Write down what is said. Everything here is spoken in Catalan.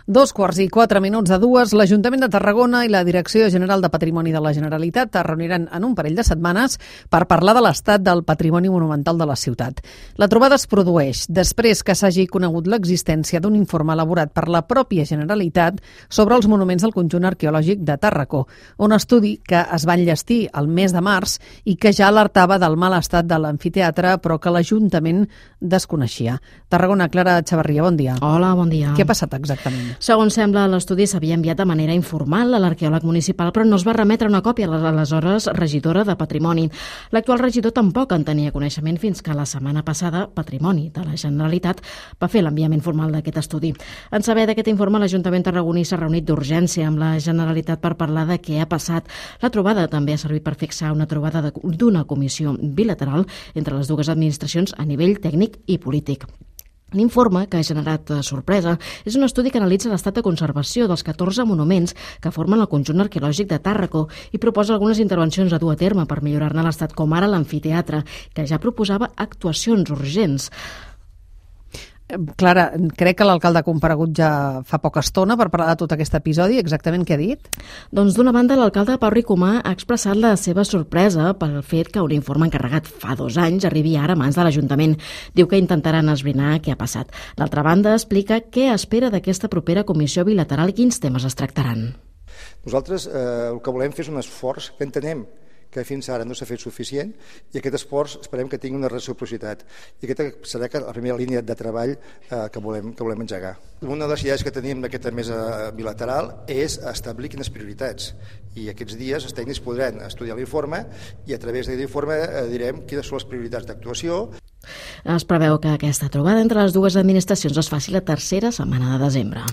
2:04 l'Ajuntament de Tarragona i la Direcció General de Patrimoni de la Generalitat es reuniran en un parell de setmanes per parlar de l'estat del patrimoni monumental de la ciutat. La trobada es produeix després que s'hagi conegut l'existència d'un informe elaborat per la pròpia Generalitat sobre els monuments del conjunt arqueològic de Tàrraco, un estudi que es va enllestir el mes de març i que ja alertava del mal estat de l'amfiteatre, però que l'Ajuntament desconeixia. Tarragona, Clara Xavarria, bon dia. Hola, bon dia. Què ha passat exactament? Segons sembla, l'estudi s'havia enviat de manera informal a l'arqueòleg municipal, però no es va remetre una còpia a l'aleshores regidora de Patrimoni. L'actual regidor tampoc en tenia coneixement fins que la setmana passada Patrimoni de la Generalitat va fer l'enviament formal d'aquest estudi. En saber d'aquest informe, l'Ajuntament tarragoní s'ha reunit d'urgència amb la Generalitat per parlar de què ha passat. La trobada també ha servit per fixar una trobada d'una comissió bilateral entre les dues administracions a nivell tècnic i polític. L'informe, que ha generat sorpresa, és un estudi que analitza l'estat de conservació dels 14 monuments que formen el conjunt arqueològic de Tàrraco i proposa algunes intervencions a dur a terme per millorar-ne l'estat, com ara l'amfiteatre, que ja proposava actuacions urgents. Clara, crec que l'alcalde ha comparegut ja fa poca estona per parlar de tot aquest episodi. Exactament què ha dit? Doncs d'una banda, l'alcalde Pau Ricomà ha expressat la seva sorpresa pel fet que un informe encarregat fa 2 anys arribi ara a mans de l'Ajuntament. Diu que intentaran esbrinar què ha passat. D'altra banda, explica què espera d'aquesta propera comissió bilateral i quins temes es tractaran. Nosaltres el que volem fer és un esforç que entenem que fins ara no s'ha fet suficient i aquest esforç esperem que tingui una reciprocitat i aquesta serà la primera línia de treball que volem engegar. Una de les idees que tenim d'aquesta mesa bilateral és establir quines prioritats i aquests dies els tècnics podran estudiar l'informe i a través d'aquest informe direm quines són les prioritats d'actuació. Es preveu que aquesta trobada entre les dues administracions es faci la tercera setmana de desembre.